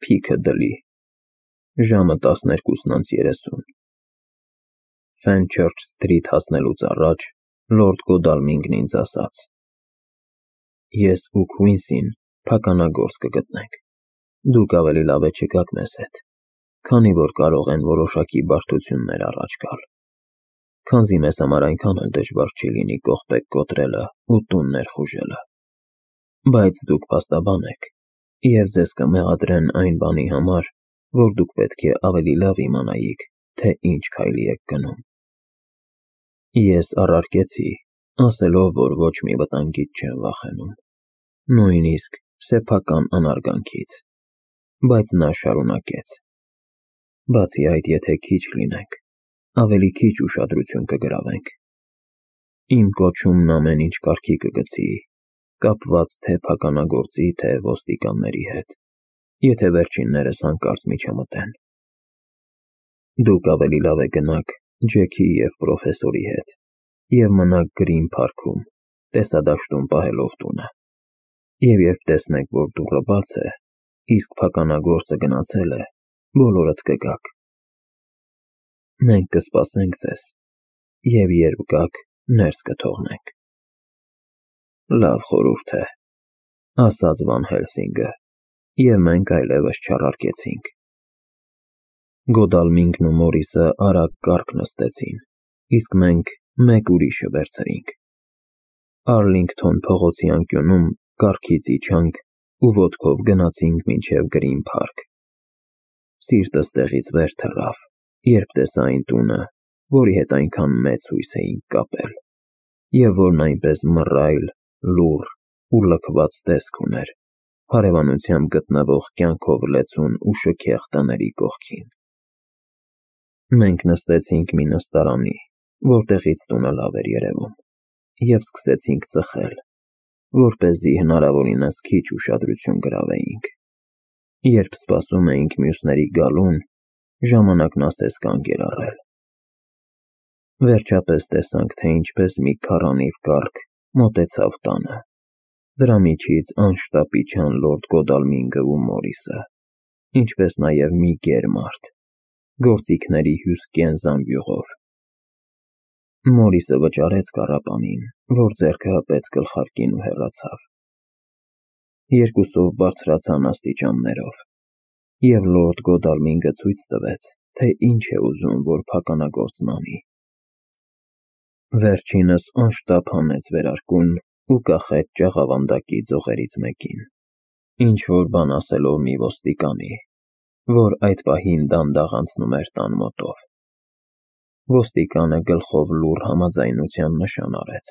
Փիքը դլի։ Ժամը 12:30։ Fenchurch Street հասնելուց առաջ Լորդ Գոդալմինգն ինձ ասաց. Ես ու Քվինսին փականագործ կգտնենք։ Դուք ավելի լավ է չգաք մեզ հետ, քանի որ կարող են որոշակի բարդություններ առաջ գալ։ Քանզի մեզ համար այնքան էլ դժվար չի լինի կողպեք կոտրելը ու տուն ներխուժելը։ Բայց դուք փաստաբան եք, և ձեզ կմեղադրեն այն բանի համար, որ դուք պետք է ավելի լավ իմանայիք, թե ինչ քայլի եք գնում։ Ես առարկեցի, ասելով, որ ոչ մի վտանգից չեմ վախենում, նույնիսկ սեփական անարգանքից, բայց նա շարունակեց. Բացի այդ, եթե քիչ լինենք, ավելի քիչ ուշադրություն կգրավենք։ Իմ կոչումն ամեն ինչ կարգի կգցի, կապված թե փականագործի, թե ոստիկանների հետ, եթե վերջիններս հանկարծ միջամտեն։ Դուք ավելի լավ է գնաք Ջեքի և պրոֆեսորի հետ և մնաք Գրին Փարքում, տեսադաշտում պահելով տունը, և երբ տեսնեք, որ դուռը բաց է, իսկ փականագործը գնացել է, բոլորդ կգաք։ Մենք կսպասենք ձեզ, և երբ գաք, ներս կթողնենք։ Լավ խորհուրդ է, ասաց Վան Հելսինգը, և մենք այլևս չառարկեցինք։ Գոդալմինգն ու Մորիսը արագ կառք նստեցին, իսկ մենք մեկ ուրիշը վերցրինք։ Արլինգթոն փողոցի անկյունում կառքից իջանք ու ոտքով գնացինք մինչև Գրին Փարք։ Սիրտս տեղից վեր թռավ, երբ տեսա այն տունը, որի հետ այնքան մեծ հույս էինք կապել, և որն այնպես մռայլ, լուռ ու լքված տեսք ուներ, հարևանությամբ գտնվող կյանքով լեցուն ու շքեղ տների կողքին։ Մենք նստեցինք մի նստարանի, որտեղից տունը լավ էր երևում, և սկսեցինք ծխել, որպեսզի հնարավորինս քիչ ուշադրություն գրավեինք։ Երբ սպասում էինք մյուսների գալուն, ժամանակն ասես կանգ էր առել։ Վերջապես տեսանք, թե ինչպես մի քառանիվ կառք մոտեցավ տանը։ Դրա միջից անշտապ իջան Լորդ Գոդալմինգը ու Մորիսը, ինչպես նաև մի գեր մարդ, գործիքների հյուսկեն զամբյուղով։ Մորիսը վճարեց կառապանին, որ ձեռքը հպեց գլխարկին ու հեռացավ։ Երկուսով բարձրացան աստիճաններով, և Լորդ Գոդալմինգը ցույց տվեց, թե ինչ է ուզում, որ փականագործն անի։ Վերջինս անշտապ հանեց վերարկուն ու կախեց ջաղավանդակի ձողերից մեկին, ինչ-որ բան ասելով մի ոստիկանի, որ այդ պահին դանդաղ անցնում էր տան մոտով։ Ոստիկանը գլխով լուռ համաձայնության նշան արեց,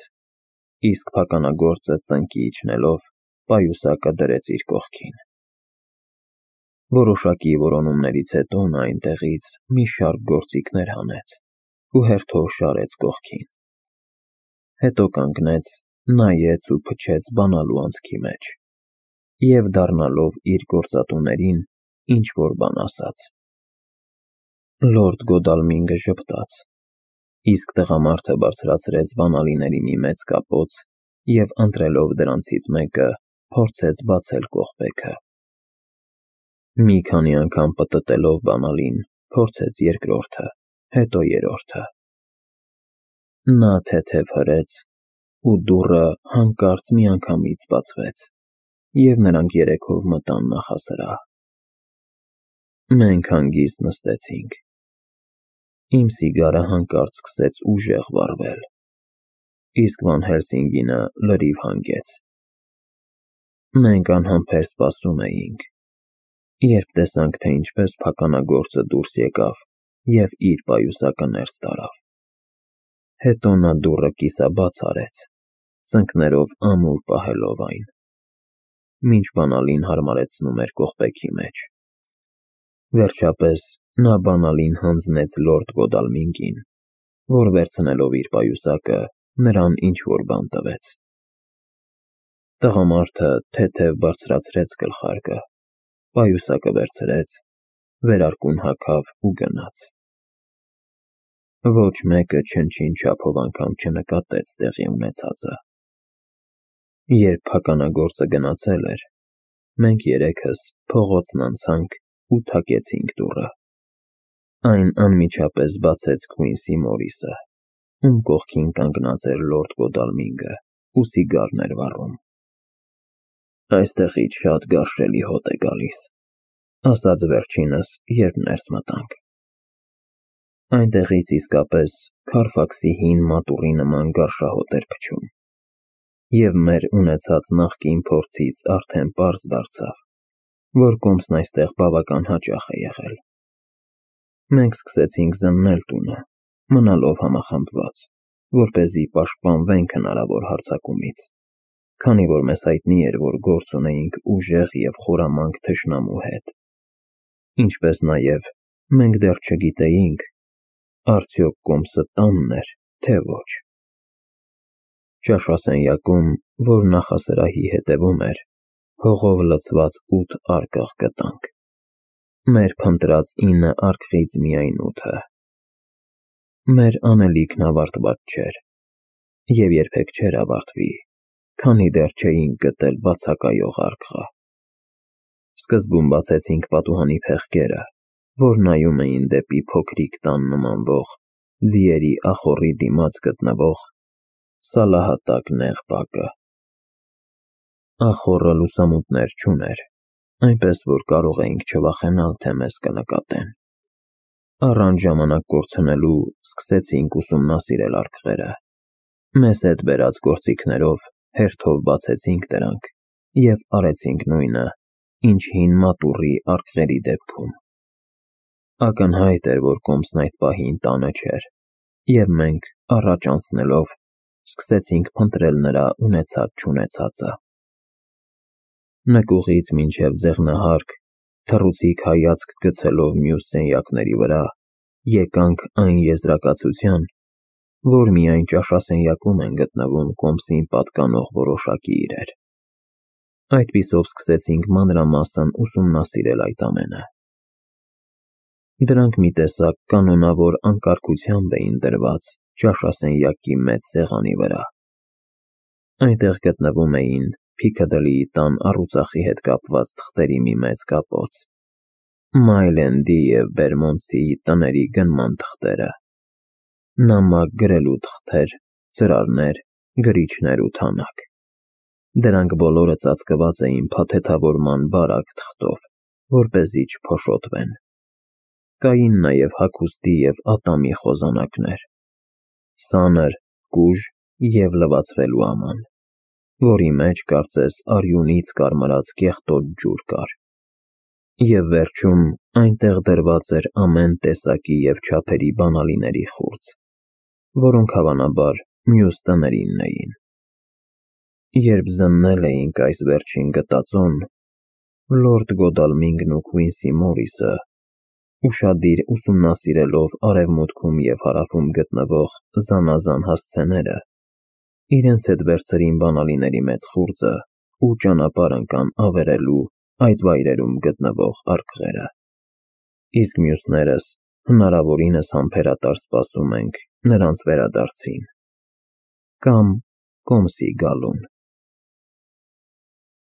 իսկ փականագործը ծնկի իջնելով պայուսակը դրեց իր կողքին։ Որոշակի որոնումներից հետո նա այնտեղից մի շարք գործիքներ հանեց ու հերթով շարեց կողքին։ Հետո կանգնեց, նայեց ու փչեց բանալու անցքի մեջ, և դառնալով իր գործատուներին ինչ-որ բան ասաց։ Լորդ Գոդալմինգը ժպտաց, իսկ տղամարդը բարձրացրեց բանալիների մի մեծ կապոց և ընտրելով դրանցից մեկը, փորձեց բացել կողպեքը։ Մի քանի անգամ պտտելով բանալին, փորձեց երկրորդը, հետո երրորդը։ Նա թեթև հրեց, ու դուռը հանկարծ միանգամից բացվեց, և նրանք երեքով մտան նախասրահ։ Մենք հանգիստ նստեցինք։ Իմ սիգարը հանկարծ սկսեց ուժեղ վառվել, իսկ Վան Հելսինգինը լրիվ հանգեց։ Մենք անհամբեր սպասում էինք, երբ տեսանք, թե ինչպես փականագործը դուրս եկավ և իր պայուսակը ներս տարավ։ Հետո նա դուռը կիսաբաց արեց, ծնկներով ամուր պահելով այն, մինչ բանալին հարմարեցնում էր կողպեքի մեջ։ Վերջապես նա բանալին հանձնեց Լորդ Գոդալմինգին, որ վերցնելով իր պայուսակը, նրան ինչ-որ բան տվեց։ Տղամարդը թեթև բարձրացրեց գլխարկը, պայուսակը վերցրեց, վերարկուն հագավ ու գնաց։ Ոչ մեկը չնչին չափով անգամ չնկատեց տեղի ունեցածը։ Երբ փականագործը գնացել էր, մենք երեքս փողոցն անցանք ու թակեցինք դուռը։ Այն անմիջապես բացեց Քվինսի Մորիսը, ում կողքին կանգնած էր լորդ Գոդալմինգը ու սիգարն էր վառում։ «Այստեղից շատ գարշելի հոտ է գալիս», ասաց վերջինս, երբ ներս մտանք։ Այնտեղից իսկապես Քարֆաքսի հին մատուռի նման գարշահոտ էր փչում, և մեր ունեցած նախկին փորձից արդեն պարզ դարձավ, որ կոմսն այստեղ բավական հաճախ է եղել։ Մենք սկսեցինք զննել տունը, մնալով համախմբված, որպեսզի պաշտպանվենք հնարավոր հարձակումից, քանի որ մեզ հայտնի էր, որ գործ ունեինք ուժեղ և խորամանկ թշնամու հետ, ինչպես նաև մենք դեռ չգիտեինք, արդյոք կոմսը տանն էր, թե ոչ։ Ճաշասենյակում, որ նախասրահի հետևում էր, հողով լցված 8 արկղ գտանք։ Մեր փնտրած 9 արկղից միայն 8-ը։ Մեր անելիքն ավարտված չէր, և երբեք չէր ավարտվի, քանի դեռ չէինք գտել բացակայող արկղը։ Սկզբում բացեցինք պատուհանի փեղկերը, որ նայում էին դեպի փոքրիկ տան նմանվող, ձիերի ախոռի դիմաց գտնվող սալահատակ նեղ բակը։ Ախոռը լուսամուտներ չուներ, այնպես որ կարող էինք չվախենալ, թե մեզ կնկատեն։ Առանց ժամանակ կորցնելու սկսեցինք ուսումնասիրել արկղերը։ Մեզ հետ բերած գործիքներով հերթով բացեցինք դրանք և արեցինք նույնը, ինչ հին մատուռի արկղերի դեպքում։ Ակնհայտ էր, որ կոմսն այդ պահին տանը չէր, և մենք, առաջ անցնելով, սկսեցինք փնտրել նրա ունեցած-չունեցածը։ Նկուղից մինչև ձեղնահարկ, թռուցիկ հայացք գցելով մյուս սենյակների վրա, եկանք այն եզրակացության, որ միայն ճաշասենյակում են գտնվում կոմսին պատկանող որոշակի իրեր։ Այդպիսով սկսեցինք մանրամասն ուսումնասիրել այդ ամենը։ Դրանք մի տեսակ կանոնավոր անկարգությամբ էին դրված ճաշասենյակի մեծ սեղանի վրա։ Այնտեղ գտնվում էին Փիքադլիի տան առուծախի հետ կապված թղթերի մի մեծ կապոց, Մայլենդի և Բերմոնտսիի տների գնման թղթերը, նամակ գրելու թղթեր, ծրարներ, գրիչներ ու թանակ։ Դրանք բոլորը ծածկված էին փաթեթավորման բարակ թղթով, որպեսզի չփոշոտվեն։ Կային նաև հագուստի և ատամի խոզանակներ, սանր, կուժ և լվացվելու աման, որի մեջ կարծես արյունից կարմրած կեղտոտ ջուր կար։ Եվ վերջում այնտեղ դրված էր ամեն տեսակի և չափերի բանալիների խուրձ, որոնք հավանաբար մյուս տներինն էին։ Երբ զննել էինք այս վերջին գտածոն, լորդ Գոդալմինգն ու Քվինսի Մորիսը, ուշադիր ուսումնասիրելով արևմուտքում և հարավում գտնվող զանազան հասցեները, իրենց հետ վերցրին բանալիների մեծ խուրձը ու ճանապարհ ընկան ավերելու այդ վայրերում գտնվող արկղերը։ Իսկ մյուսներս հնարավորինս համբերատար սպասում ենք նրանց վերադարձին կամ կոմսի գալուն։